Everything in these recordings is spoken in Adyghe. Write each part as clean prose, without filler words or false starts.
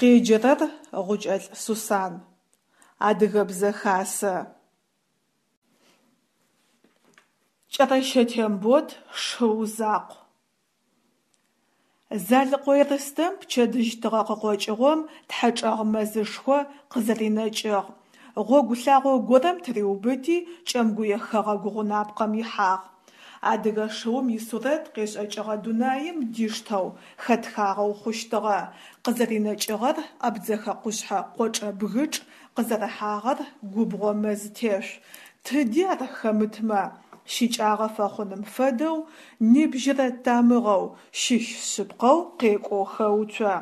Къеджэрэр Гъукӏэлӏ Сусан. Адыгэбзэ хасэ. Кӏэрэщэ Тембот шыу закъу. Залыкъо Ерстэм пчэдыжь тыгъэ къыкъокӏыгъом Тхьэчӏэгъ мэзышхо къызэринэкӏыгъ. Гъогу лъагъо горэм тыриубыти Кӏэмгуе хэгъэгу гъунапкъэм ихьагъ. Адыгэ шыум исурэт къешӏэкӏыгъэ дунаим диштэу хэтхагъэу хъущтыгъэ, къызэринэкӏыгъэр Абдзэхэ къушъхьэ къочӏэ бгычӏ, къызэрыхьагъэр губгъо мэз тешъу, тыди ар хэмытмэ, щыкӏагъэ фэхъуным фэдэу, нибжьырэ тамыгъэу, щыщ шъыпкъэу къекӏоу хэуцо.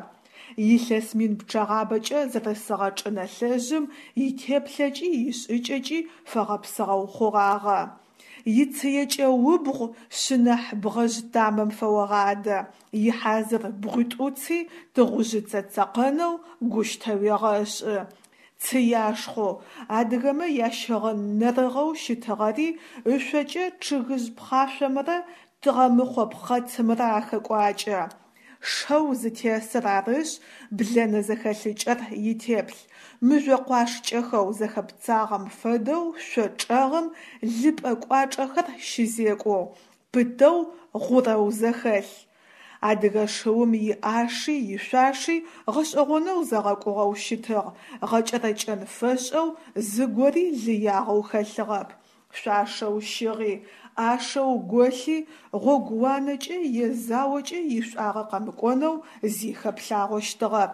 Илъэс мин пчъэгъабэкӏэ зэрысыгъэ чӏынэлъэжъым итеплъэкӏи ишӏыкӏэкӏи фэгъэпсыгъэу хъугъагъэ. Ицыекӏэ убгъу шъынэхь бгъэжъ тамэм фэогъадэ, ихьазыр бгъуитӏуци тыгъужъыцэ цэкъэнэу гущтэ уегъэшӏы. Цыяшхъоу, адыгэмэ ящыгъын нэрыгъэу щытыгъэри ышъокӏэ чъыгыжъ пхъашъомрэ тыгъэмыхъо пхъэцымрэ ахэкӏуакӏэ. Шэу зытесыр арышъ, блэнэ зэхэлъыкӏэр итеплъ, мыжъо къуашкӏэхэу зэхэпцагъэм фэдэу шъо чӏэгъым лыпӏэ кӏуачӏэхэр щызекӏоу, пытэу гъурэу зэхэлъ. Адыгэ шыум иӏаши ишъуаши гъэшӏэгъонэу зэгъэкӏугъэу щытыгъ, гъэкӏэрэкӏэн фэшӏэу зыгори лыягъэу хэлъыгъэп. Шъуашэу щыгъи, ӏашэу голъи гъогууанэкӏэ е заокӏэ ишӏуагъэ къэмыкӏонэу зи хэплъагъощтыгъэп.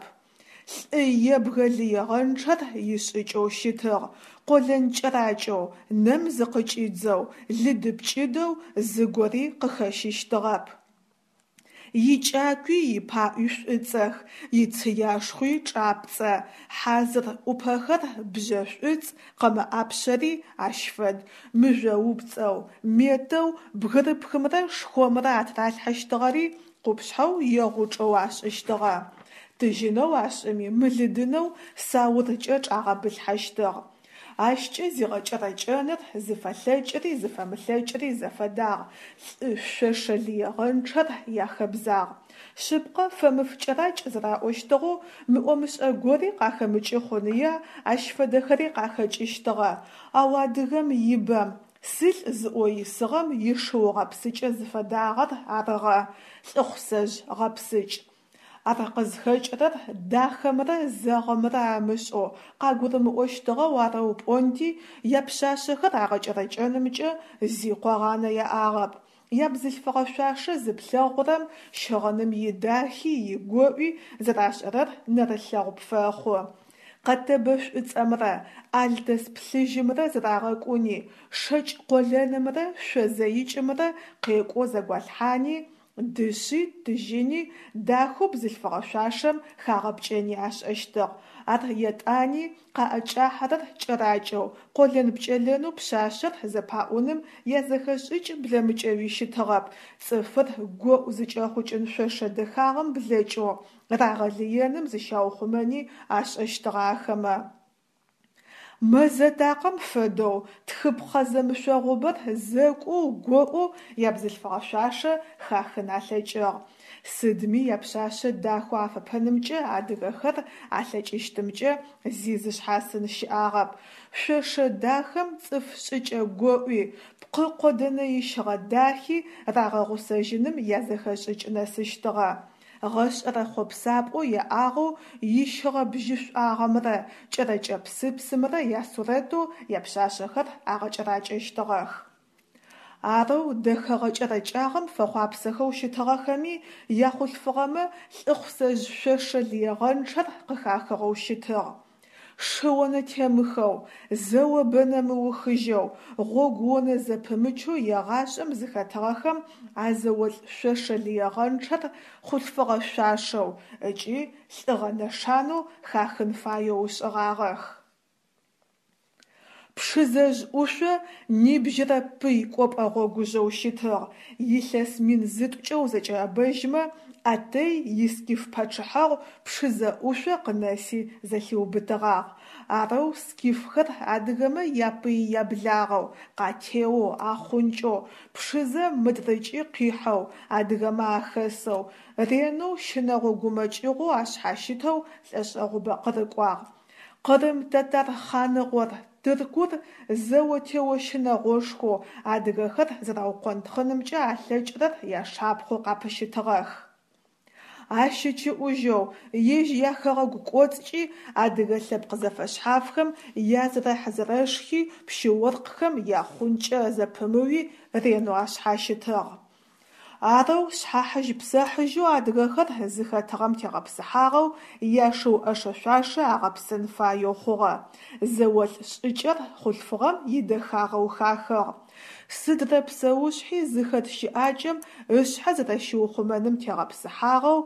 Лӏы ебгэ лыегъэнчъэр ишӏыкӏэу щытыгъ, къолэн кӏэракӏэу, нэм зыкъыкӏидзэу, лыды-пкӏыдэу зыгори къыхэщыщтыгъэп. Икӏакуи ипаӏуи шӏуцӏэх, ицыяшхъуи чӏапцӏэ, хьазыр ӏупэхэр бжьэ шӏуцӏ, къэмэ ӏапшъэри ащ фэд, мыжъоупцӏэу, метэу бгырыпхымрэ шхомрэ атыралъхьэщтыгъэри къупшъхьэу е гъучӏэу ашӏыщтыгъэ. Тыжьынэу ашӏыми мылыдынэу сауркӏэ чӏагъэбылъхьэщтыгъ. Ащкӏэ зигъэкӏэрэкӏэныр зыфэлъэкӏыри зыфэмылъэкӏыри зэфэдагъ, лӏы шъошэ лыегъэнчъэр яхэбзагъ. Шъыпкъэ, фэмыф кӏэракӏ зэраӏощтыгъэу, мыӏо-мышӏэ гори къахэмыкӏы хъуныя, ащ фэдэхэри къахэкӏыщтыгъэ, ау адыгэм ибэм, сылӏ зыӏоу исыгъэм ишыу гъэпсыкӏэ зыфэдагъэр арыгъэ, лӏыхъусэжъ гъэпсыкӏ. Ар къызхэкӏырэр дахэмрэ зэгъымрэ амышӏэу, къагурымыӏощтыгъэу арэу пӏонти, япшъашъэхэр агъэкӏэрэкӏэнымкӏэ зи къогъанэ яӏагъэп. Ябзылъфыгъэ шъуашэ зыплъэгъурэм щыгъыным идахи игоӏуи зэрашӏэрэр нэрылъэгъу пфэхъу. Къэтэбэ шӏуцӏэмрэ алтэс плъыжьымрэ зэрагъэкӏуни, шэкӏ къолэнымрэ шъо зэикӏымрэ къекӏоу зэгуалъхьани, Дышъи, тыжьыни дахэу бзылъфыгъэ шъуашэм хагъэпкӏэни ашӏэщтыгъ. Ар етӏани къаӏэкӏахьэрэр кӏэракӏэу, къолэн-пкӏэлэнэу пшъашъэр зэпаӏуным язэхэшӏыкӏ блэмыкӏэуи щытыгъэп, цӏыфыр гоӏу зыкӏэхъукӏын шъошэ дэхагъэм блэкӏэу, рагъэлыеным зыщаухъумэни ашӏэщтыгъэ ахэмэ. Мэзэ такъэм фэдэу тхыпхъэ зэмышъогъубэр зэкӏоу гоӏоу ябзылъфыгъэ шъуашэ хахын алъэкӏыгъ. Сыдми япшъашъэ дахэу афэпэнымкӏэ адыгэхэр алъэкӏыщтымкӏэ зи зышъхьасын щыӏагъэп. Шъошэ дахэм цӏыф шӏыкӏэ гоӏуи, пкъы къодэнэ ищыгъэ дахи рагъэгъусэжьыным язэхэшӏыкӏ нэсыщтыгъэ. Гъэшӏэрэ хъопсапӏэу яӏагъэу ищыгъэ бжьышӏуагъэмрэ кӏэрэкӏэ псыпсымрэ ясурэтэу япшъашъэхэр агъэкӏэракӏэщтыгъэх. Арэу дэхэгъэ кӏэрэкӏагъэм фэхъуапсэхэу щытыгъэхэми, яхъулъфыгъэмэ лӏыхъусэжъ шъошэ лыегъэнчъэр къыхахыгъэу щытыгъ. Шы онэтемыхэу, зэо-бэнэ мыухыжьэу, гъогу онэ зэпымычэу егъашӏэм зыхэтыгъэхэм а зэолӏ шъошэ лыегъэнчъэр хъулъфыгъэ шъуашэу ыкӏи лӏыгъэ нэшанэу хахын фаеу ышӏыгъагъэх. Пшызэжъ ӏушъо нибжьырэ пый кӏопӏэ гъогужъэу щытыгъ, илъэс 1000 зытӏукӏэ узэкӏэӏэбэжьмэ, Атэй искиф пачъыхьэгъу Пшызэ ӏушъо къынэси зэлъиубытыгъагъ. Арэу скифхэр адыгэмэ япый-яблагъэу, къатеоу, ахъункӏэу, Пшызэ мыдрыкӏи къихьэу, адыгэмэ ахэсэу, ренэу щынэгъо-гумэкӏыгъоу ашъхьащытэу лӏэшӏэгъубэ къырыкӏуагъ. Къырым татар хъаныгъор, Тыркур зэо-тео щынэгъошхоу адыгэхэр зэраукъонтхъынымкӏэ алъэкӏырэр яшапхъэу къапыщытыгъэх. Ащ ыкӏыӏужьэу, ежь яхэгъэгу кӏоцӏкӏи адыгэ лъэпкъ зэфэшъхьафхэм язэрэхь-зэрэшхи, пщы-оркъхэм яхъункӏэ зэпымыуи ренэу ашъхьащытыгъ. Арэу шъхьахьыжь-псэхьыжьэу адыгэхэр зыхэтыгъэм тегъэпсыхьагъэу яшыу ӏэшэ-шъуашэ агъэпсын фаеу хъугъэ. Зэолӏ шӏыкӏэр хъулъфыгъэм идэхагъэу хахыгъ. Сыдрэ псэушъхьи зыхэт щыӏакӏэм ышъхьэ зэрэщиухъумэным тегъэпсыхьагъэу,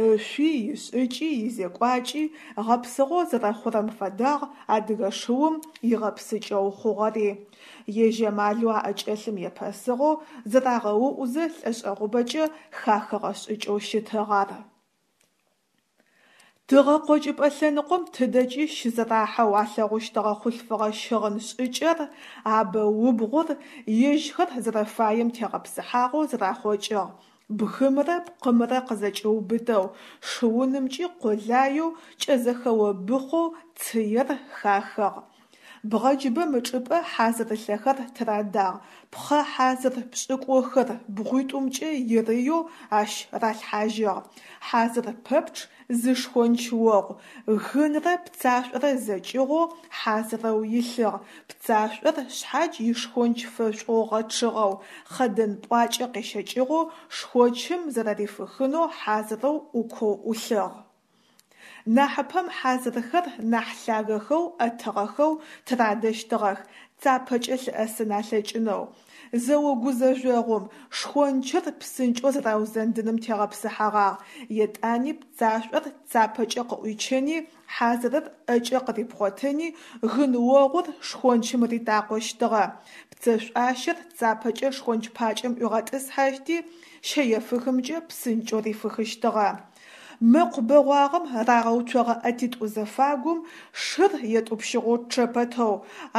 ышъуи, ишӏыкӏи, изекӏуакӏи гъэпсыгъэу зэрэхъурэм фэдагъ адыгэ шыум игъэпсыкӏэу хъугъэри. Ежь амалэу аӏэкӏэлъым епэсыгъэу зэрагъэуӏузэ лӏэшӏэгъубэкӏэ хахыгъэ шӏыкӏэу щытыгъ ар. Тыгъэкъокӏыпӏэ лъэныкъом тыдэкӏи щызэрахьэу алъэгъущтыгъэ хъулъфыгъэ щыгъын шӏыкӏэр, абэ-убгъур ежьхэр зэрэфаем тегъэпсыхьагъэу зэрахъокӏыгъ, бгымрэ пкъымрэ къызэкӏиубытэу, шыунымкӏи къолаеу кӏэзэхэо быхъоу цыер хахыгъ. Бгъэджыбэм ычӏыпӏэ хьазырылъэхэр тырадагъ, пхъэ хьазыр пшӏыкӏухыр бгъуитӏумкӏэ ирыеу ащ ралъхьажьыгъ. Хьазыр пэпчъ зы шхонч огъу, гынрэ пцашӏорэ зэкӏыгъоу хьазырэу илъыгъ, пцашӏор шъхьадж ишхонч фэшӏоу гъэчъыгъэу, хъэдэн пӏуакӏэ къещэкӏыгъэу шхочым зэрэрифыхынэу хьазырэу ӏукоу ӏулъыгъ. Нахьыпэм хьазырхэр нахь лъагэхэу ӏэтыгъэхэу тырадэщтыгъэх, цапэкӏэ лъыӏэсын алъэкӏынэу. Зэо гузэжъогъум шхончыр псынкӏэу зэраузэндыным тегъэпсыхьэгъагъ, етӏани пцашӏор цапэкӏэ къыӏуичыни, хьазырыр ӏэкӏэ къырипхъотыни, гын огъур шхончым ритакъощтыгъэ, пцэшӏуащэр цапэкӏэ шхонч пакӏэм ӏуигъэтӏысхьэти, щэефыхымкӏэ псынкӏэу рифыхыщтыгъэ. Мэкъу бэгъуагъэм рагъэуцогъэ ӏэтитӏу зэфагум шыр етӏупщыгъэу чъэ пэтэу,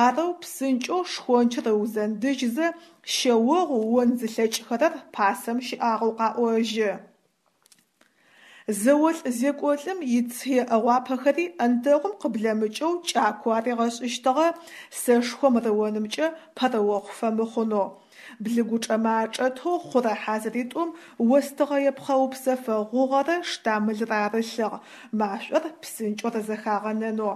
арэу псынкӏэу шхончыр ыузэндыжьзэ, щэогъу он зылъэкӏхэрэр пасэм щыӏагъэу къаӏожьы. Зэолӏ-зекӏолӏым ицые ӏэгъуапэхэри ӏэнтэгъум къыблэмыкӏэу кӏакоу аригъэшӏыщтыгъэ, сэшхом рыонымкӏэ пэрыохъу фэмыхъунэу. Блыгучӏэмэ ачӏэтэу хъурэ хьазыритӏум остыгъэе пхъэупсэфэ гъугъэрэ штамылрэ арылъыгъ, машӏор псынкӏэу рызэхагъэнэнэу.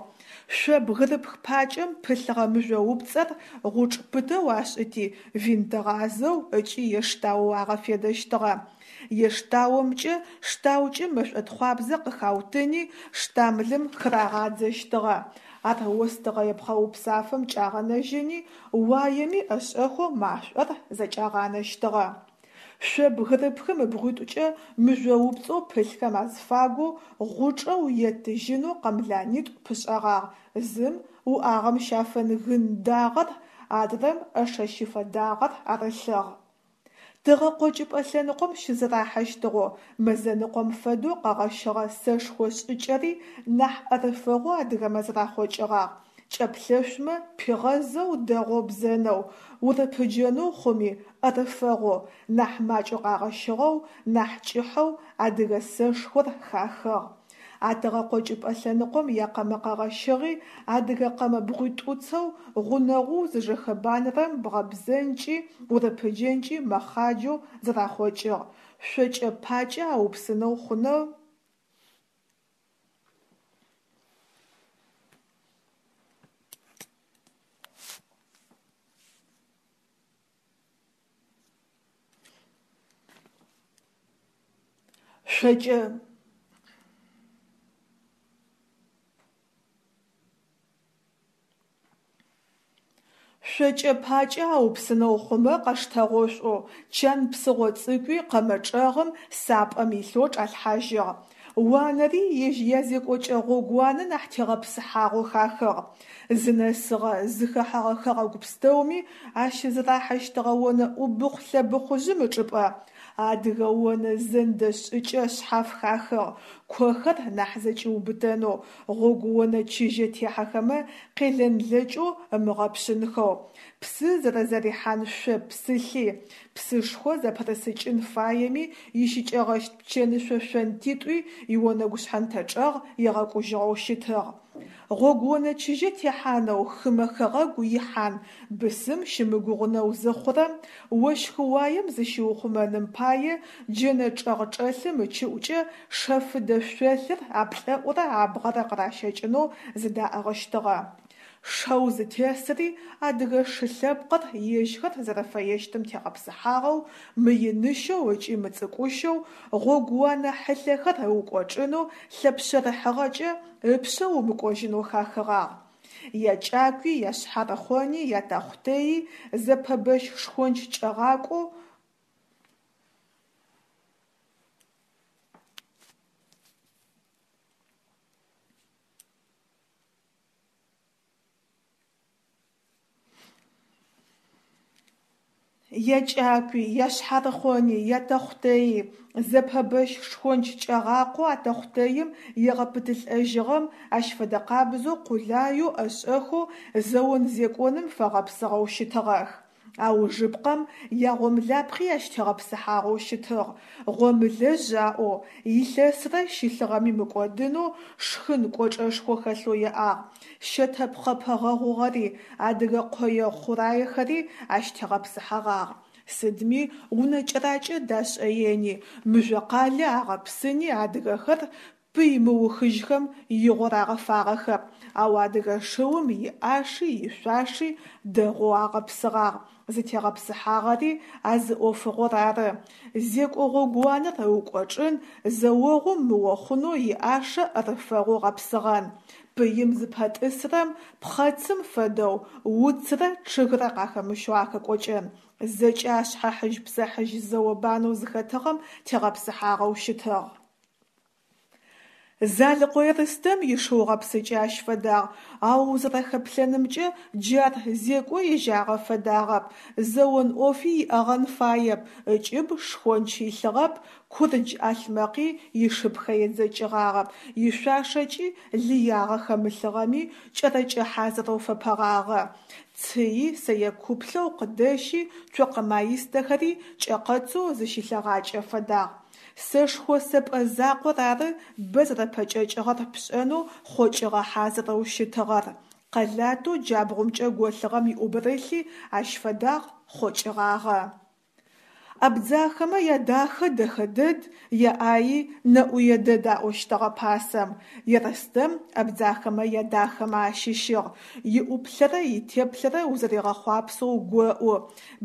Шъо бгырыпх пакӏэм пылъыгъэ мыжъоупцӏэр гъучӏ пытэу ашӏыти, винтгъазэу ыкӏи ештаоу агъэфедэщтыгъэ. Ештаомкӏэ штаукӏым мэшӏотхъуабзэ къыхаутыни, штамылым хырагъадзэщтыгъэ. Ар остыгъэе пхъэупсафэм кӏагъэнэжьыни, уаеми ӏэшӏэхэу машӏор зэкӏагъанэщтыгъэ. Шъо бгырыпхым ыбгъуитӏукӏэ мыжъоупцӏэу пылъхэм азыфагоу гъучӏэу е тыжьынэу къэмланитӏу пышӏэгъагъ, зым уӏагъэм щафэн гын дагъэр, адрэм ӏэшэщыфэ дагъэр арылъыгъ. Тыгъэкъокӏыпӏэ лъэныкъом щызэрахьэщтыгъэу, мэзэныкъом фэдэу къэгъэщыгъэ сэшхо шӏыкӏэри нахь ӏэрыфэгъоу адыгэмэ зэрахъокӏыгъагъ, кӏэплъэшъумэ пигъэзэу дэгъоу бзэнэу, урыпыджэнэу хъуми ӏэрыфэгъоу, нахь макӏэу къагъэщыгъэу, нахь кӏыхьэу адыгэ сэшхор хахыгъ. А тыгъэкъокӏыпӏэ лъэныкъом якъэмэ къэгъэщыгъи адыгэ къэмэ бгъуитӏуцэу гъунэгъоу зыжэхэбанэрэм бгъэбзэнкӏи урыпыджэнкӏи мэхъаджэу зэрахъокӏыгъ, шъокӏэ пакӏэ аупсынэу хъунэу шъокӏэ Шъокӏэ пакӏэ аупсынэу хъумэ къэштэгъошӏоу, чан псыгъо цӏыкӏуи къэмэ чӏэгъым сапӏэм илъэу чӏалъхьажьыгъ. Уанэри ежь язекӏокӏэ гъогууанэ нахь тегъэпсыхьагъэу хахыгъ. Зынэсыгъэ, зыхэхьэгъэ хэгъэгу пстэуми ащызэрахьэщтыгъэ онэ ӏубыхъу-лъэбыхъужъым ычӏыпӏэ. Адыгэ онэ зэндэ шӏыкӏэ шъхьаф хахыгъ, кохэр нахь зэкӏиубытэнэу, гъогуонэ чыжьэ техьэхэмэ къелэнлэкӏэу ымыгъэпшъынхэу, псы зэрэзэрихьан шъо псылъи, псышхо зэпырысыкӏын фаеми ищыкӏэгъэщт пчэнышъо шъонтитӏуи ионэгу шъхьэнтэ чӏэгъ егъэкӏужьыгъэу щытыгъ. Гъогуонэ чыжьэ техьанэу хымэ хэгъэгу ихьан бысым щымыгугъынэу зыхъурэм, ощхы-уаем зыщиухъумэным пае джэнэ чӏэгъ-чӏэлъым ыкӏыӏукӏэ шэфыдэ шъолъыр аплӏэӏурэ абгъэрэ къыращэкӏынэу зыдаӏыгъыщтыгъэ. Шэу зытесыри адыгэ шы лъэпкъыр ежьхэр зэрэфэещтым тегъэпсыхьагъэу, мыиныщэу ыкӏи мыцӏыкӏущэу, гъогууанэ хьылъэхэр ыукӏочӏынэу лъэпшъэрыхьыгъэкӏэ ыпшъэ умыкӏожьынэу хахыгъагъ. Якӏакуи, яшъхьарыхъони, ятэхъутэйи зэпэбэщ шхонч кӏэгъакӏоу Якӏакуи, яшъхьарыхъони, ятэхъутэйи зэпэбэщ шхонч кӏэгъакъоу а тэхъутэим егъэпытылӏэжьыгъэм ащ фэдэ къабзэу къулаеу ӏэшӏэхэу зэон-зекӏоным фэгъэпсыгъэу щытыгъэх. Аужыпкъэм ягъомлапхъи ащ тегъэпсыхьагъэу щытыгъ, гъомылэжъ аӏоу, илъэсрэ щылъыгъэми мыкӏодынэу шхын кӏочӏэшхо хэлъэу яӏагъ, щэтэпхъэпэ гъэгъугъэри, адыгэ къое хъураехэри ащ тегъэпсыхьэгъагъ. Сыдми унэ кӏэракӏэ дашӏэени, мыжъокъалэ агъэпсыни адыгэхэр пый мыухыжьхэм игъо рагъэфагъэхэп, ау адыгэ шыум иӏаши ишъуаши дэгъоу агъэпсыгъагъ, зытегъэпсыхьагъэри а зы ӏофыгъор ары: зекӏо гъогууанэр ыукӏочӏын, зэогъум мыохъунэу иӏашэ ӏэрыфэгъоу гъэпсыгъэн, пыим зыпэтӏысрэм, пхъэцым фэдэу, уцрэ чъыгрэ къахэмыщэу ахэкӏокӏэн, зэкӏэ а шъхьэхьыжь-псэхьыжь зэо-банэу зыхэтыгъэм тегъэпсыхьагъэу щытыгъ. Залыкъо Ерстэм ишыу гъэпсыкӏэ ащ фэдагъ, ау узэрэхэплъэнымкӏэ джы ар зекӏо ежьагъэ фэдагъэп, зэон ӏофи иӏэгъэн фаеп, ыкӏыб шхонч илъыгъэп, курдж ӏалъмэкъи ишыпхэ едзэкӏыгъагъэп, ишъуашэкӏи лыягъэ хэмылъыгъэми, кӏэрэкӏэ хьазырэу фэпэгъагъэ. Цыи сэе куплъэу къыдэщи, цокъэ маистэхэри кӏэкъэцэу зыщилъэгъакӏэ фэдагъ. Сэшхо сэпӏэ закъор ары бэ зэрэпэкӏэкӏыгъэр пшӏэнэу хъокӏыгъэ хьазырэу щытыгъэр. Къэлатэу джабгъумкӏэ голъыгъэм иӏубырылъи ащ фэдагъ, хъокӏыгъагъэ. Абдзахэмэ ядахэ дэхэ дэд, яӏаи нэӏуе дэд аӏощтыгъэ пасэм. Ерстэм абдзахэмэ ядахэмэ ащыщыгъ, иӏуплъэрэ итеплъэрэ узэригъэхъуапсэу гоӏу,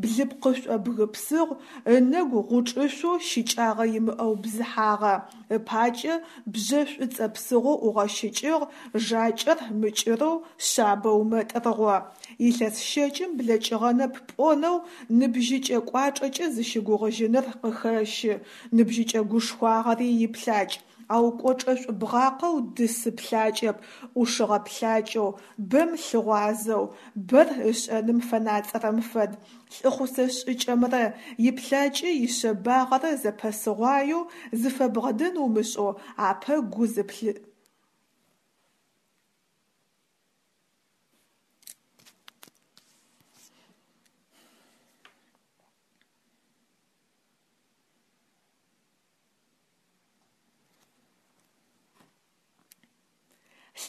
блыпкъышӏо бгы псыгъу, ынэгу гъучӏышъоу щыкӏагъэ имыӏэу бзыхьагъэ, ыпакӏэ бжьэ шӏуцӏэ псыгъоу ӏугъэщыкӏыгъ, жакӏэр мыкӏырэу шъабэу мэтӏыргъо. Илъэс щэкӏым блэкӏыгъэнэп пӏонэу ныбжьыкӏэ кӏуачӏэкӏэ зыщыгугъыжьыныр къыхэщы, ныбжьыкӏэ гушхуагъэри иплъакӏ, ау кӏочӏэшӏу бгъакъэу дысы плъакӏэп, ӏушыгъэ плъакӏэу, бэм лъыгъуазэу, бэр ышӏэным фэнацӏэрэм фэд, лӏыхъусэ шӏыкӏэмрэ иплъакӏэ ишъэбагъэрэ зэпэсыгъуаеу зыфэбгъэдэн умышӏэу апэ гу зыплъы.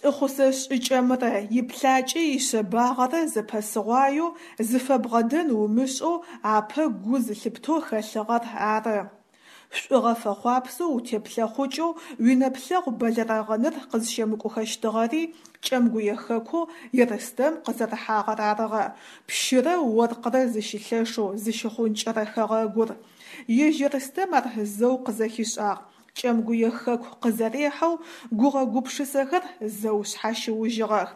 Лӏыхъусэ шӏыкӏэмрэ иплъакӏэ ишъэбагъэрэ зэпэсыгъуаеу зыфэбгъэдэн умышӏэу апэ гу зылъыптэу хэлъыгъэр ары. Шӏугъэ фэхъуапсэу утеплъэхъукӏэу уинэплъэгъу бэлэрэгъыныр къызщемыкӏухэщтыгъэри Кӏэмгуе хэкоу Ерстэм къызэрыхьагъэр арыгъэ, пщырэ оркърэ зыщылъэшэу зыщыхъункӏэрэ хэгъэгур. Ежь Ерстэм ар зэу къызэхишӏагъ, Кӏэмгуе хэку къызэрехьэу гугъэ-гупшысэхэр зэу шъхьащыужьыгъэх.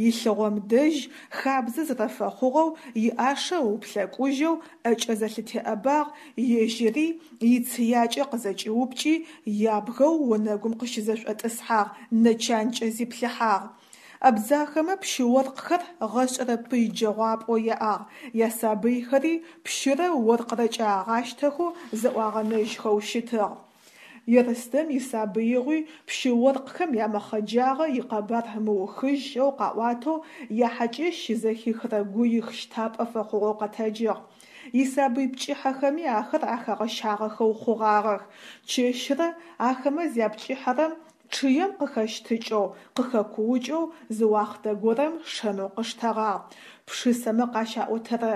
Илъыгъом дэжь, хабзэ зэрэфэхъугъэу, иӏашэ ыуплъэкӏужьэу ӏэкӏэ зэлъытеӏэбагъ, ежьыри ицыякӏэ къызэкӏиупкӏи, ябгэу онэгум къыщызэшӏотӏысхьагъ, нэ чанкӏэ зиплъыхьагъ. Абдзахэмэ пщы-оркъхэр гъэшӏэрэ пый джэгъуапӏэу яӏагъ, ясабыйхэри пщырэ оркърэкӏэ агъащтэхэу зэӏуагъэнэжьхэу щытыгъ. Ерстэм исабыигъуи пщы-оркъхэм ямэхъэджагъэ икъэбар мыухыжьэу къаӏуатэу яхьакӏэщ щызэхихырэ гуих щтапӏэ фэхъугъэу къэтэджыгъ. Исабый пкӏыхьэхэми ахэр ахэгъэщагъэхэу хъугъагъэх. Чэщрэ ахэмэ зяпкӏыхьэрэм чъыем къыхэщтыкӏэу, къыхэкуукӏэу зы уахътэ горэм шэнэу къыштэгъагъ. Пшысэмэ къащаӏотэрэ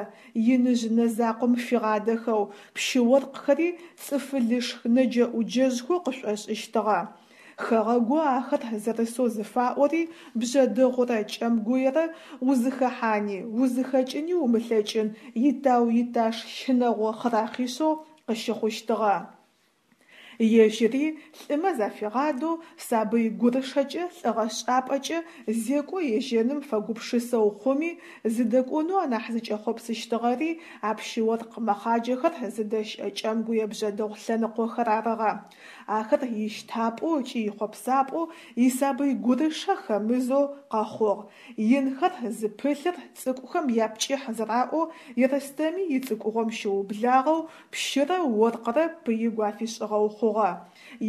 иныжъ нэ закъом фигъадэхэу, пщы-оркъхэри цӏыфылышх нэджэӏуджэжъхэу къышӏошӏыщтыгъэ. Хэгъэгоу ахэр зэрысэу зыфаӏори Бжъэдыгъурэ Кӏэмгуерэ узыхэхьани, узыхэкӏыни умылъэкӏын итау-иташ щынэгъо хъырахъишъэу къыщыхъущтыгъэ. Ежьыри лӏымэ зафигъадэу, сабый гурышэкӏэ лӏыгъэшӏапӏэкӏэ зекӏо ежьэным фэгупшысэу хъуми, зыдэкӏонэу анахь зыкӏэхъопсыщтыгъэри а пщы-оркъ мэхъаджэхэр зыдэщыӏэ кӏэмгуе-бжъэдыгъу лъэныкъохэр арыгъэ. Ахэр ищтапӏэу ыкӏи ихъопсапӏэу исабый гурышэ хэмызэу къэхъугъ. Инхэр зыпылъыр цӏыкӏухэм япкӏыхь зэраӏоу Ерстэми ицӏыкӏугъом щыублагъэу пщырэ оркърэ пыигу афишӏыгъэу хъугъэ.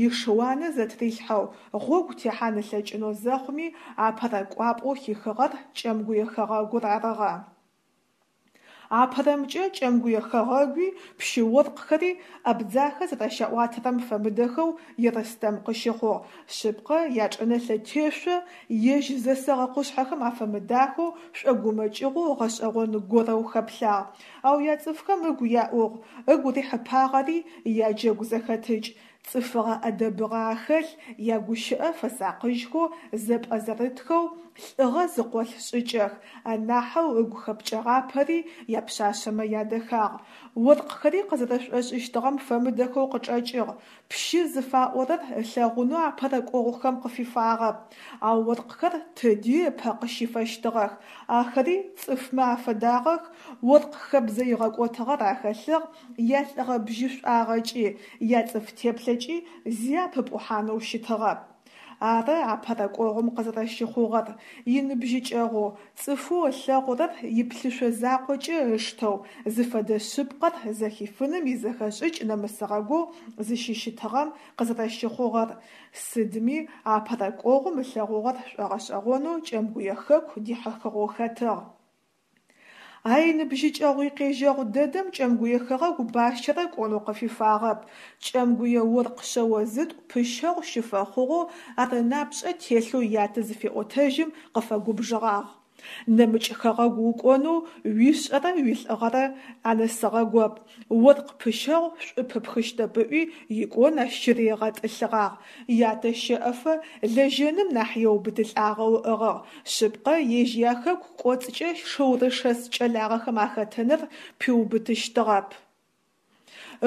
Ишыуанэ зэтрилъхьэу гъогу техьан ылъэкӏынэу зэхъуми апэрэ кӏуапӏэу хихыгъэр Кӏэмгуе хэгъэгур арыгъэ. Апэрэмкӏэ Кӏэмгуе хэгъэгуи пщы-оркъхэри Абдзахэ зэрэщаӏуатэрэм фэмыдэхэу Ерстэм къыщыхъугъ. Шъыпкъэ, ячӏынэлъэ тешъо ежь зэсэгъэ къушъхьэхэм афэмыдахэу шӏогумэкӏыгъоу гъэшӏэгъон горэу хэплъагъ. Ау яцӏыфхэм ыгу яӏугъ, ыгу рихьыпагъэри яджэгу зэхэтыкӏ, цӏыфыгъэ ӏэдэбыгъэ ахэлъ, ягущыӏэ фэсакъыжьхэу зэпӏэзэрытхэу, лӏыгъэ зыкъолъ шӏыкӏэх, анахьэу ыгу хэпкӏэгъапэри япшъашъэмэ ядэхагъ. Оркъхэри къызэрэшӏошӏыщтыгъэм фэмыдэхэу къычӏэкӏыгъ, пщы зыфаӏорэр ылъэгъунэу апэрэ кӏогъухэм къыфифагъэп. Ау оркъхэр тыди ыпэ къыщифэщтыгъэх, ахэри цӏыфмэ афэдагъэх, оркъ хэбзэ игъэкӏотыгъэр ахэлъыгъ, ялӏыгъэ бжьышӏуагъэкӏи, яцӏыф теплъэкӏи зи апыпӏухьанэу щытыгъэп. Ары апэрэ кӏогъум къызэрэщыхъугъэр, иныбжьыкӏэгъоу, цӏыфэу ылъэгъурэр иплъышъо закъокӏэ ыштэу, зыфэдэ шъыпкъэр зэхифыным изэхэшӏыкӏ нэмысыгъэгоу зыщыщытыгъэм къызэрэщыхъугъэр, сыдми апэрэ кӏогъум ылъэгъугъэр шӏогъэшӏэгъонэу Кӏэмгуе хэку дихьыхыгъэу хэтыгъ. А иныбжьыкӏэгъу-икъежьэгъу дэдэм Кӏэмгуе хэгъэгу бащэрэ кӏонэу къыфифагъэп. Кӏэмгуе оркъ шъэо зытӏу пыщэгъу щыфэхъугъэу ар ынапшӏэ телъэу ятэ зыфеӏотэжьым къыфэгубжыгъагъ. Нэмыкӏ хэгъэгу укӏонэу уишӏэрэ уилӏыгъэрэ анэсыгъэгоп, Оркъ пыщэгъу шӏу пыпхыщтэп ыӏуи, икӏон ащ щыригъэтӏылъыгъагъ. Ятэ щэӏэфэ лэжьэным нахь еубытылӏагъэу ыӏыгъыгъ. Шъыпкъэ, ежь яхэку кӏоцӏкӏэ шыурышэс кӏэлагъэхэм ахэтыныр пиубытыщтыгъэп.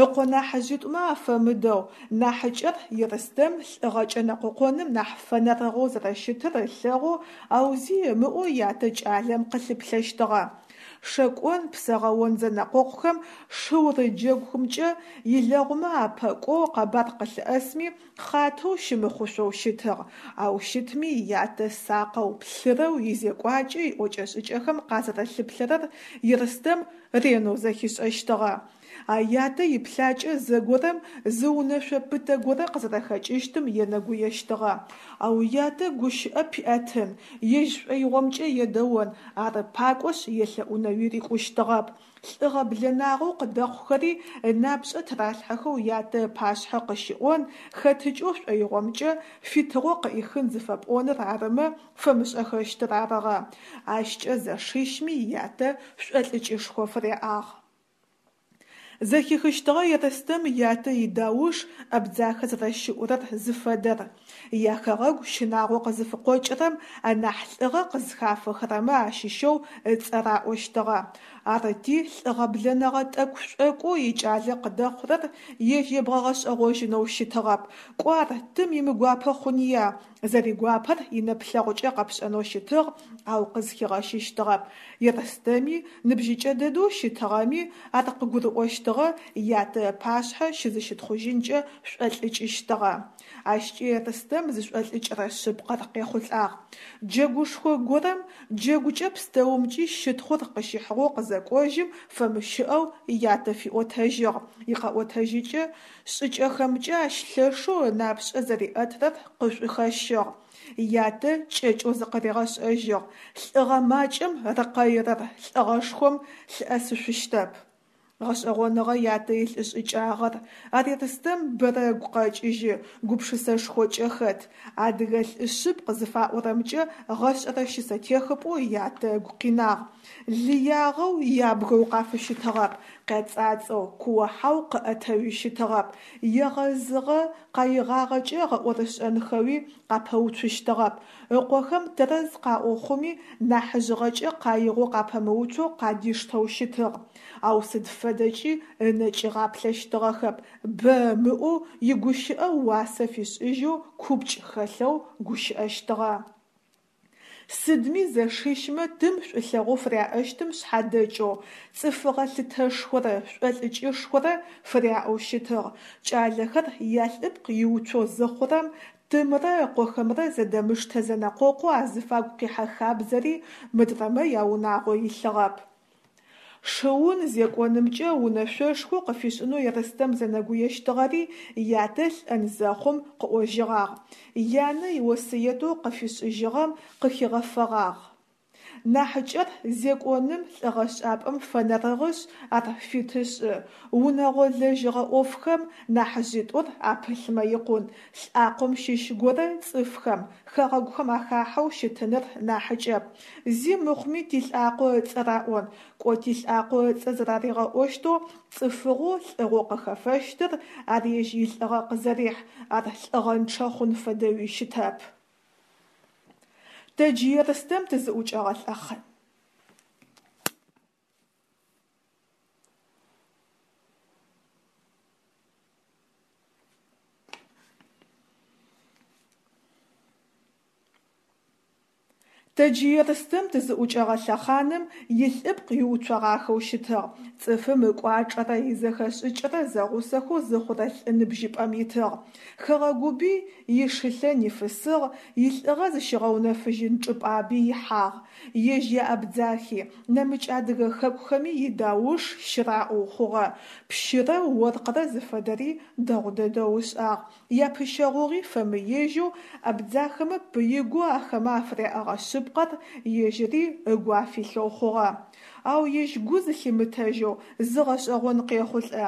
Ыкъо нахьыжъитӏумэ афэмыдэу, нахьыкӏэр Ерстэм лӏыгъэкӏэ нэкъокъоным нахь фэнэрыгъэу зэрэщытыр ылъэгъоу, ау зи ымыӏоу ятэ кӏалэм къылъыплъэщтыгъэ. Шэкӏон, псэгъэон зэнэкъокъухэм шыурыджэгумкӏэ илэгъумэ апэ кӏоу къэбар къылъыӏэсми, хъатэу щымыхъушъоу щытыгъ, ау щытми ятэ сакъэу, плъырэу изекӏуакӏэ иӏокӏэ-шӏыкӏэхэм къазэрэлъыплъэрэр Ерстэм ренэу зэхишӏэщтыгъэ. А ятэ иплъакӏэ зэгорэм зы унэшъо пытэ горэ къызэрэхэкӏыщтым енэгуещтыгъэ. Ау ятэ гущыӏэ пиӏэтын, ежь шӏоигъомкӏэ едэон, ары пакӏошъ елъэӏунэуи рикӏущтыгъэп. Лӏыгъэ блэнагъэу къыдэхъухэри ынапшӏэ тыралъхьэхэу ятэ ыпашъхьэ къыщиӏон, хэтыкӏэу шӏоигъомкӏэ фитыгъо къыӏихын зыфэпӏоныр арымэ фэмышӏэхэщтыр арыгъэ. Ащкӏэ зэшищми ятэ шӏолӏыкӏышхо фыряӏагъ. Зэхихыщтыгъэ Ерстэм ятэ идауш Абдзахэ зэрэщыӏурэр зыфэдэр. Яхэгъэгу щынагъо къызыфыкъокӏырэм анахь лӏыгъэ къызхафэхэрэмэ ащыщэу ыцӏэ раӏощтыгъэ. Арыти, лӏыгъэ-блэнэгъэ тӏэкӏу-шӏокӏоу икӏалэ къыдэхъурэр ежь ебгъэгъэшӏэгъожьынэу щытыгъэп. Кӏо ар тым имыгуапэ хъуния, Зэригуапэр инэплъэгъукӏэ къэпшӏэнэу щытыгъ, ау къызхигъэщыщтыгъэп. Ерстэми, ныбжьыкӏэ дэдэу щытыгъэми, ар къыгурыӏощтыгъ. щытыгъэ ятэ ыпашъхьэ щызыщытхъужьынкӏэ шӏолӏыкӏыщтыгъэ. Ащкӏи Ерстэм зышӏолӏыкӏырэ шъыпкъэр къехъулӏагъ. Джэгушхо горэм джэгукӏэ пстэумкӏи щытхъур къыщихьыгъэу къызэкӏожьым фэмыщыӏэу ятэ фиӏотэжьыгъ, икъэӏотэжьыкӏэ шӏыкӏэхэмкӏэ ащ лъэшэу ынапшӏэ зэриӏэтырэр къышӏухэщыгъ. Ятэ кӏэкӏэу зыкъыригъэшӏэжьыгъ, лӏыгъэ макӏэм рыкъэирэр лӏыгъэшхом лъыӏэсышъущтэп. Гъэшӏэгъоныгъэ ятэ илӏышӏыкӏагъэр, ар Ерстэм бэрэ ыгу къэкӏыжьы, гупшысэшхокӏэ хэт, адыгэ лӏы шъыпкъ зыфаӏорэмкӏэ гъэшӏэрэ щысэтехыпӏэу ятэ ыгу къинагъ. Лыягъэу, ябгэу къафыщытыгъэп, къяцӏацӏэу, куо-хьау къыӏэтэуи щытыгъэп, егъэзыгъэ къаигъагъэкӏэ гъэӏорышӏэнхэуи къапэуцущтыгъэп, ыкъохэм тэрэз къаӏо хъуми, нахьыжъыгъэкӏэ къаигъэу къапэмыуцоу къадиштэу щытыгъ. Ау сыд фэдэкӏи ынэ кӏигъаплъэщтыгъэхэп, бэ ымыӏоу, игущыӏэ уасэ фишӏыжьэу купкӏ хэлъэу гущыӏэщтыгъэ. Сыдми зэшищмэ тым шӏулъэгъоу фыряӏэщтым шъхьадэкӏэу, цӏыфыгъэ лъытэшхорэ шӏолӏыкӏышхорэ фыряӏэу щытыгъ. Кӏалэхэр ялӏыпкъ иуцоу зыхъурэм, тымрэ ыкъохэмрэ зэдэмыштэ-зэнэкъокъоу азыфагу къихьэ хабзэри мыдрэмэ яунагъо илъыгъэп. Шыун зекӏонымкӏэ унэшъошхо къыфишӏынэу Ерстэм зэнэгуещтыгъэри ятэ лӏэн зэхъум къыӏожьыгъагъ, янэ иосыетэу къыфишӏыжьыгъэм къыхигъэфэгъагъ. Нахьыкӏэр зекӏоным лӏыгъэшӏапӏэм фэнэрыгъышъ, ар фиты шӏы, унэгъо лэжьыгъэ ӏофхэм нахьыжъитӏур апылъмэ икъун, лӏакъом щыщ горэ цӏыфхэм, хэгъэгухэм ахахьэу щытыныр нахьыкӏэп. Зи мыхъуми тилӏакъо ыцӏэ раӏон, кӏо тилӏакъо ыцӏэ зэраригъэӏощтэу цӏыфыгъэу лӏыгъэу къыхэфэщтыр ар ежь илӏыгъэ къызэрихь, ар лӏыгъэнчъэ хъун фэдэуи щытэп. Тэ джы Ерстэм тызыӏукӏэгъэ лъэхъан. Тэ джы Ерстэм тызыӏукӏэгъэ лъэхъаным илӏыпкъ иуцогъахэу щытыгъ, цӏыфым ыкӏуачӏэрэ изэхэшӏыкӏрэ зэгъусэхэу зыхъурэ лӏы ныбжьыпӏэм итыгъ. Хэгъэгуби ишылъэ нифысыгъ, илӏыгъэ зыщигъэунэфыжьын чӏыпӏаби ихьагъ. Ежь яабдзахи, нэмыкӏ адыгэ хэкухэми идауш щыраӏоу хъугъэ, пщырэ оркърэ зыфэдэри дэгъу дэдэу ышӏагъ, Япыщэгъугъи фэмыежьэу абдзахэмэ пыигу ахэмэ афыряӏэгъэ шъыпкъэр ежьыри ыгу афилъэу хъугъэ. Ау ежь гу зылъимытэжьэу зы гъэшӏэгъон къехъулӏэ.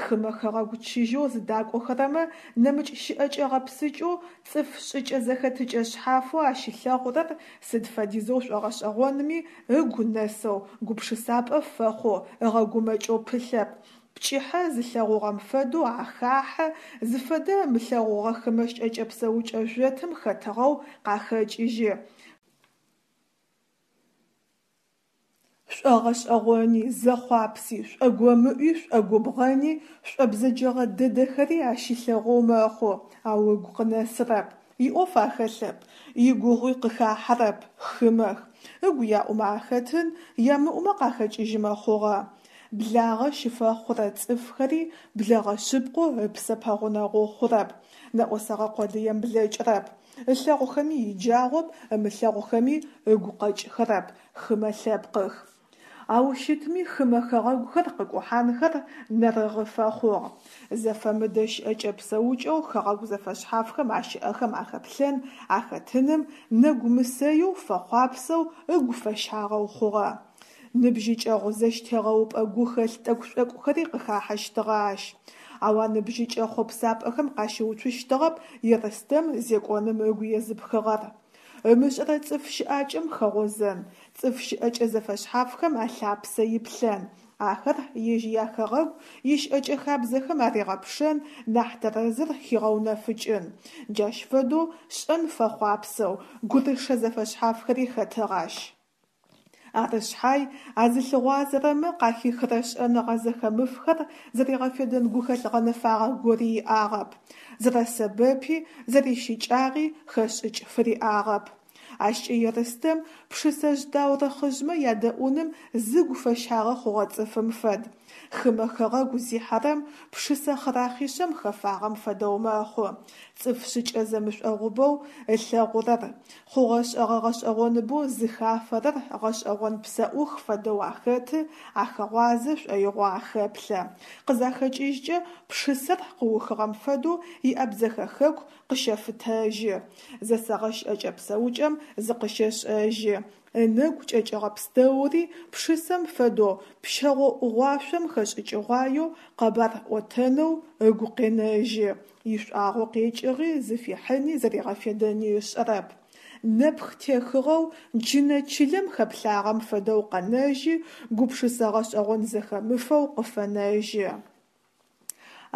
Хымэ хэгъэгу чыжьэу зыдакӏохэрэмэ нэмыкӏ щыӏэкӏэ гъэпсыкӏэу цӏыф шӏыкӏэ-зэхэтыкӏэ шъхьафэу ащилъэгъурэр сыд фэдизэу шӏогъэшӏэгъонми, ыгу нэсэу, гупшысапӏэ фэхъоу, ыгъэгумэкӏэу пылъэп, Пкӏыхьэ зылъэгъугъэм фэдэу ахахьэ, зыфэдэ ымылъэгъугъэ хымэ щыӏэкӏэ-псэукӏэ жъотым хэтыгъэу къахэкӏыжьы. Шӏогъэшӏэгъони, зэхъуапси, шӏогомыӏуи, шӏогубгъэни, шӏобзэджэгъэ дэдэхэри ащилъэгъоу мэхъу, ау ыгу къынэсырэп. Иӏоф ахэлъэп, игугъуи къыхахьэрэп, хымэх. Ыгу яӏумэ ахэтын, ямыӏумэ къахэкӏыжьымэ хъугъэ. Благъэ щыфэхъурэ цӏыфхэри блэгъэ шъыпкъэу ыпсэ пэгъунэгъоу хъурэп, нэӏосэгъэ къодыем блэкӏырэп. Ылъэгъухэми иджагъоп, ымылъэгъухэми ыгу къэкӏхэрэп, хымэ лъэпкъых. Ау щытми хымэ хэгъэгухэр къыкӏухьанхэр нэрыгъы фэхъугъ. Зэфэмыдэ щыӏэкӏэ-псэукӏэу хэгъэгу зэфэшъхьафхэм ащыӏэхэм ахэплъэн, ахэтыным нэгу мысэеу фэхъуапсэу ыгу фэщагъэу хъугъэ. Ныбжьыкӏэгъу зэщтегъэупӏэ гухэлъ тӏэкӏу-шӏокӏухэри къыхахьэщтыгъэ ащ. Ау а ныбжьыкӏэ хъопсапӏэхэм къащыуцущтыгъэп Ерстэм зекӏоным ыгу езыпхыгъэр. Ымышӏэрэ цӏыф щыӏакӏэм хэгъозэн, цӏыф щыӏэкӏэ зэфэшъхьафхэм алъапсэ иплъэн, ахэр ежь яхэгъэгу ищыӏэкӏэ хабзэхэм аригъэпшэн, нахь тэрэзыр хигъэунэфыкӏын. Джащ фэдэу шӏэн фэхъуапсэу, гурышэ зэфэшъхьафхэри хэтыгъ ащ. Ары шъхьай, а зылъыгъуазэрэмэ къахихырэ шӏэныгъэ зэхэмыфхэр зэригъэфедэн гухэлъ гъэнэфагъэ гори иӏагъэп, зэрэсэбэпи, зэрищыкӏагъи хэшӏыкӏ фыриӏагъэп. Ащкӏэ Ерстэм пшысэжъ таурыхъыжъмэ ядэӏуным зыгу фэщагъэ хъугъэ цӏыфым фэд. Хымэ хэгъэгу зихьэрэм пшысэ хъырахъишъэм хэфагъэм фэдэу мэхъу. Цӏыф шӏыкӏэ зэмышӏогъубэу ылъэгъурэр, хъугъэ-шӏэгъэ гъэшӏэгъоныбэу зыхафэрэр гъэшӏэгъон псэӏух фэдэу ахэты, ахэгъуазэ шӏоигъоу ахэплъэ. Къызахэкӏыжькӏэ пшысэр къыухыгъэм фэдэу иабдзэхэ хэку къыщэфытэжьы, зэсэгъэ щыӏэкӏэ-псэукӏэм зыкъыщешӏэжьы. Ынэгу кӏэкӏыгъэ пстэури пшысэм фэдэу пщэгъо ӏугъуашъом хэшӏыкӏыгъуаеу къэбар ӏотэнэу ыгу къенэжьы, ишӏуагъэу къекӏыгъи зыфихьыни зэригъэфедэни ышӏэрэп. Нэпх техыгъэу джынэ чылэм хэплъагъэм фэдэу къэнэжьы, гупшысэ гъэшӏэгъон зэхэмыфэу къыфэнэжьы.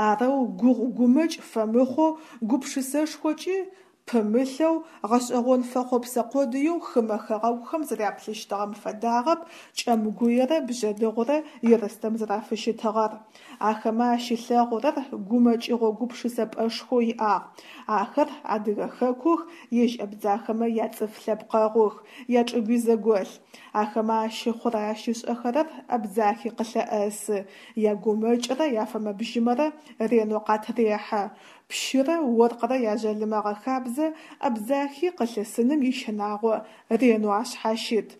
Арэу гугъу-гумэкӏ фэмыхъоу, гупшысэшхокӏи пымылъэу, гъэшӏэгъон фэхъопсэ къодыеу хымэ хэгъэгухэм зэряплъыщтыгъэм фэдагъэп Кӏэмгуерэ Бжъэдыгъурэ Ерстэм зэрафыщытыгъэр. Ахэмэ ащилъэгъурэр гумэкӏыгъо гупшысэпӏэшхоу иӏагъ. Ахэр адыгэ хэкух, ежь абдзахэмэ яцӏыф лъэпкъэгъух, ячӏыгуи зэголъ. Ахэмэ ащыхъурэ-ащышӏэхэрэр Абдзахи къылъэӏэсы, ягумэкӏрэ яфэмэ-бжьымэрэ ренэу къатырехьэ. Пщырэ оркърэ яжъалымэгъэ хабзэ Абдзахи къылъысыным ищынагъо ренэу ашъхьащыт.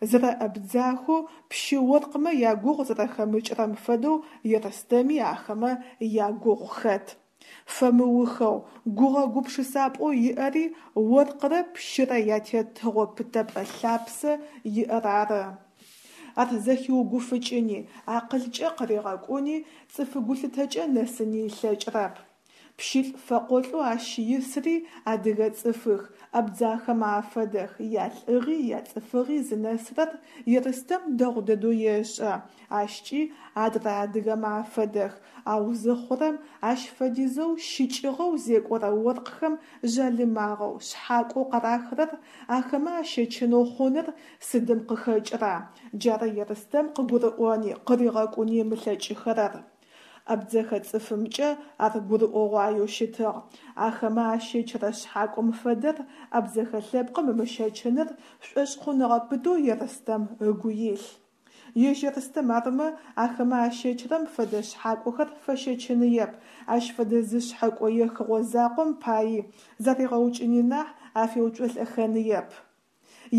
Зэрэабдзахэу пщы-оркъмэ ягугъу зэрэхэмыкӏырэм фэдэу Ерстэми ахэмэ ягугъу хэт. Фэмыухэу, гугъэ-гупшысапӏэу иӏэри оркърэ пщырэ ятетыгъо пытэпӏэ лъапсэ иӏэр ары. Ар зэхиугуфыкӏыни, акъылкӏэ къыригъэкӏуни, цӏыф гулъытэкӏэ нэсыни ылъэкӏырэп. Пщылӏ фэкъолӏэу ащ исри адыгэ цӏыфых, абдзахэмэ афэдэх, ялӏыгъи яцӏыфыгъи зынэсырэр Ерстэм дэгъу дэдэу ешӏэ, ащкӏи адрэ адыгэмэ афэдэх, ау зыхъурэм ащ фэдизэу щыкӏыгъэу зекӏорэ оркъхэм жъалымагъэу, шъхьакӏоу къарахырэр ахэмэ ащэчынэу хъуныр сыдым къыхэкӏыра? Джары Ерстэм къыгурыӏони, къыригъэкӏуни ымылъэкӏыхэрэр. Абдзэхэ цӏыфымкӏэ ар гурыӏогъуаеу щытыгъ. Ахэмэ ащэчырэ шъхьакӏом фэдэр абдзэхэ лъэпкъым ымыщэчыныр шӏошъхъуныгъэ пытэу Ерстэм ыгу илъ. Ежь Ерстэм армэ, ахэмэ ащэчырэм фэдэ шъхьакӏохэр фэщэчыныеп, ащ фэдэ зы шъхьэкӏо ехыгъо закъом паи заригъэукӏыни нахь афеуцолӏэхэныеп.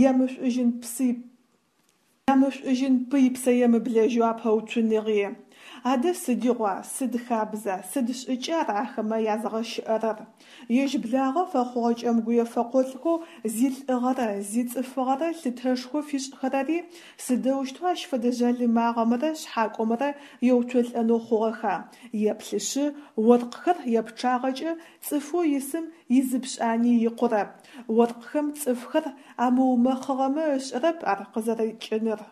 Ямышӏужьын псый Ямышӏужьын пый псэемыблэжьэу апэуцуныгъи. Адэ сыдигъуа, сыд хабза, сыд шӏыкӏа ар ахэмэ язгъэщыӏэрэр? Ежь благъэ фэхъугъэ кӏэмгуе фэкъолӏхэу зилӏыгъэрэ зицӏыфыгъэрэ лъытэшхо фишӏхэрэри сыдэущтэу ащ фэдэ жъалымагъэмрэ шъхьакӏомрэ еуцолӏэнэу хъугъэха? Еплъышъы, оркъхэр япчъагъэкӏэ цӏыфэу исым изыпшӏани икъурэп. Оркъхэм цӏыфхэр амыумэхъыгъэмэ ышӏэрэп ар къызэрыкӏыныр.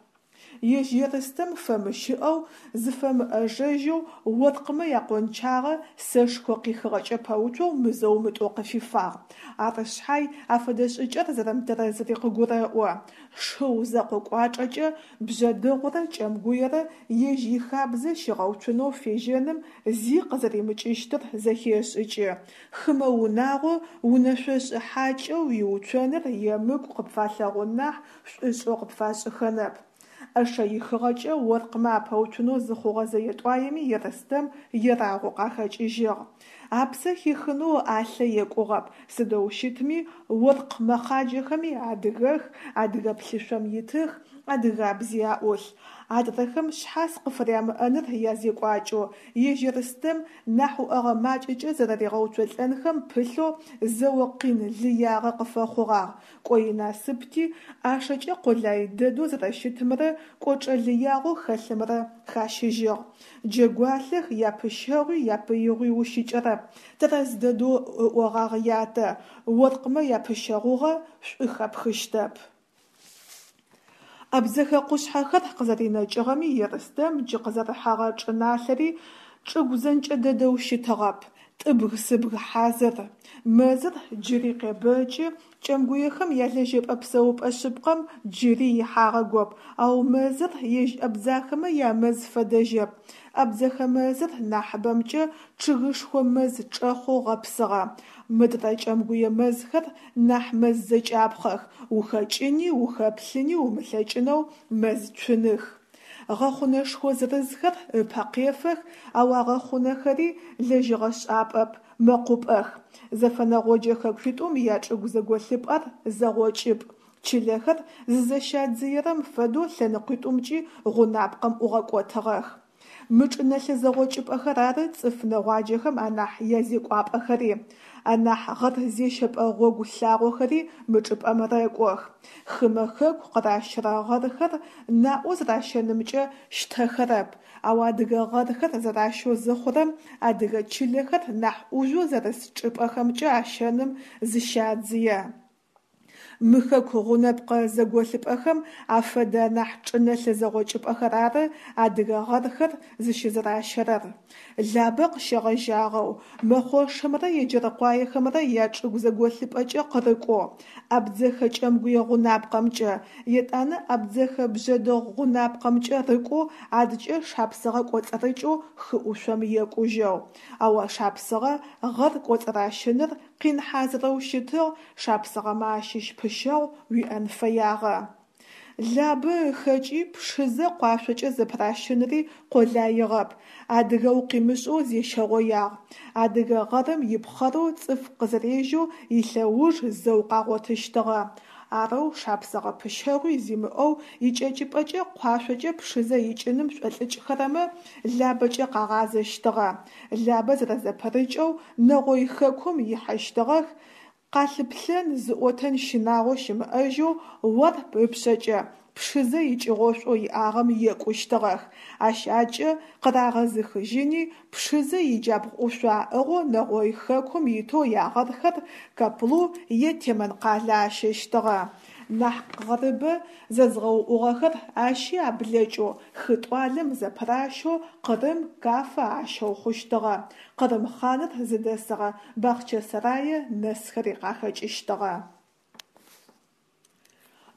Ежь Ерстэм фэмыщыӏэу, зыфэмыӏэжэжьэу оркъмэ якъончагъэ сэшхо къихыгъэкӏэ пэуцоу мызэу-мытӏоу къыфифагъ. Ары шъхьай афэдэ шӏыкӏэр зэрэмытэрэзыри къыгурэӏо. Шыу зэкъо кӏуачӏэкӏэ Бжъэдыгъурэ Кӏэмгуерэ ежь ихабзэ щигъэуцунэу фежьэным зи къызэримыкӏыщтыр зэхешӏыкӏы. Хымэ унагъо унэшъошӏы хьакӏэу уиуцоныр емыкӏу къыпфалъэгъун нахь шӏушӏэу къыпфашӏыхэнэп. ӏэшэ ихыгъэкӏэ оркъмэ апэуцунэу зыхъугъэ зэе-тӏуаеми Ерстэм ерагъэу къахэкӏыжьыгъ. Апсэ хихынэу ыӏалъэ екӏугъэп, сыдэу щытми, оркъ мэхъаджэхэми адыгэх, адыгэ плъышъом итых, адыгабзи аӏулъ. Адрэхэм шъхьас къыфырямыӏэныр язекӏуакӏэу, ежь Ерстэм нахь уӏэгъэ макӏэкӏэ зэрэригъэуцолӏэнхэм пылъэу зэо къин лыягъэ къыфэхъугъагъ, кӏо инасыпти, ӏашэкӏэ къолай дэдэу зэрэщытымрэ кӏочӏэ лыягъэу хэлъымрэ хащыжьыгъ. Джэгуалъэх япыщэгъуи япыигъуи ущыкӏэрэп, тэрэз дэдэу ыӏогъагъ ятэ, оркъмэ япыщэгъугъэ шӏу хэпхыщтэп. Абдзэхэ къушъхьэхэр къызэринэкӏыгъэми Ерстэм джы къызэрыхьэгъэ чӏыналъэри чӏыгу зэнкӏэ дэдэу щытыгъэп, тӏыбг-сыбг хьазыр. Мэзыр джыри къебэкӏы, кӏэмгуехэм ялэжьэпӏэ-псэупӏэ шъыпкъэм джыри ихьагъэгоп, ау мэзыр ежь абдзахэмэ ямэз фэдэжьэп. Абдзэхэ мэзыр нахьыбэмкӏэ чъыгышхо мэз чӏэхъоу гъэпсыгъэ. Мыдрэ кӏэмгуе мэзхэр нахь мэз зэкӏапхъэх, ухэкӏыни ухэплъыни умылъэкӏынэу мэз цуных. Гъэхъунэшхо зырызхэр ыпэ къефэх, ау а гъэхъунэхэри лэжьыгъэшӏапӏэп, мэкъупӏэх. Зэфэнэгъоджэ хэкуитӏум ячӏыгу зэголъыпӏэр зэгъокӏыпӏ, чылэхэр зызэщадзыерэм фэдэу лъэныкъуитӏумкӏи гъунапкъэм ӏугъэкӏотыгъэх. Мы чӏынэлъэ зэгъокӏыпӏэхэр ары цӏыф нэгъуаджэхэм анахь язекӏуапӏэхэри, анахь гъэр зещэпӏэ гъогу лъагъохэри мы чӏыпӏэм рэкӏох. Хымэ хэку къыращырэ гъэрхэр наӏо зэращэнымкӏэ щтэхэрэп, ау адыгэ гъэрхэр зэращэу зыхъурэм адыгэ чылэхэр нахь ӏужъоу зэрыс чӏыпӏэхэмкӏэ ащэным зыщадзые. Мы хэку гъунэпкъэ зэголъыпӏэхэм афэдэ анахь чӏынэлъэ зэгъокӏыпӏэхэр ары адыгэ гъэрхэр зыщызэращэрэр. Лабэ къыщегъэжьагъэу, Мэхъошымрэ Еджэркъуаехэмрэ ячӏыгу зэголъыпӏэкӏэ къырыкӏоу, Абдзэхэ кӏэмгуе гъунапкъэмкӏэ, етӏанэ Абдзэхэ бжъэдыгъу гъунапкъэмкӏэ рыкӏоу адкӏэ Шапсыгъэ кӏоцӏырыкӏэу хыӏушъом екӏужьэу. Ау а шапсыгъэ гъэр кӏоцӏыращыныр къин хьазырэу щытыгъ, шапсыгъэмэ ащыщ пыщэгъу уиӏэн фэягъэ. Лабэ ыхэкӏи Пшызэ къуашъокӏэ зэпыращынри къолаигъэп, адыгэ укъимышӏэу зещэгъоягъ. Адыгэ гъэрым ипхъэрэу цӏыф къызэрежьэу илъэуж зэу къагъотыщтыгъэ. Арэу шапсыгъэ пыщэгъуи зимыӏэу икӏэкӏыпӏэкӏэ къуашъокӏэ Пшызэ икӏыным шӏолӏыкӏхэрэмэ Лабэкӏэ къагъазэщтыгъэ. Лабэ зэрэзэпырыкӏэу Нэгъой хэкум ихьэщтыгъэх, къалъыплъэн, зыӏотэн щынагъо щымыӏэжьэу Уарп ыпшъэкӏэ Пшызэ икӏыгъошӏоу иӏагъэм екӏущтыгъэх, ащ акӏэ къырагъэзыхыжьыни, Пшызэ иджабгъу ӏушъо аӏыгъэу Нэгъой хэкум итэу ягъэрхэр Каплу е Темэн къалэ ащэщтыгъэ. Нахь гъэрыбэ зэзгъэуӏугъэхэр ащи аблэкӏэу хы тӏуалэм зэпыращэу Къырым, Кафэ ащэу хъущтыгъэ, Къырым хъаныр зыдэсыгъэ Бахъчэсэрае нэсхэри къахэкӏыщтыгъэ.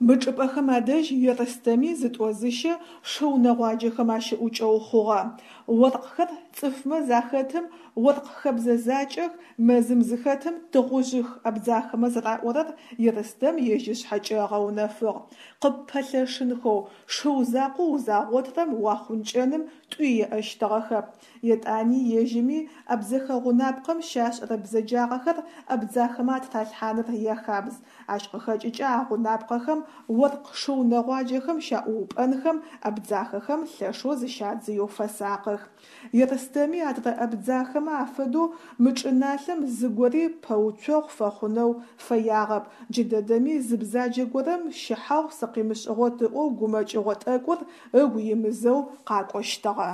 Мы чӏыпӏэхэм адэжь Ерстэми зытӏо-зыщэ шыу нэгъуаджэхэм ащыӏукӏэу хъугъэ. Оркъхэр цӏыфмэ захэтым оркъ хэбзэ закӏэх, мэзым зыхэтым тыгъужъых абдзахэмэ зэраӏорэр Ерстэм ежь ышъхьэкӏэ ыгъэунэфыгъ. Къыппэлъэшынхэу шыу закъоу узагъотрэм уахъункӏэным тӏуи еӏэщтыгъэхэп. Етӏани ежьыми абдзэхэ гъунапкъэм щашӏэрэ бзэджагъэхэр абдзахэмэ атыралъхьаныр яхабз, ащ къыхэкӏыкӏэ а гъунапкъэхэм оркъ шыу нэгъуаджэхэм щаӏуупӏэнхэм абдзахэхэм лъэшэу зыщадзыеу фэсакъых. Ерстэми адрэ абдзахэмэ афэдэу мы чӏыналъэм зыгори пэуцогъу фэхъунэу фэягъэп, джыдэдэми зы бзаджэ горэм щыхьагъу сыкъимышӏыгъот ыӏоу гумэкӏыгъо тӏэкӏур ыгу имызэу къакӏощтыгъэ.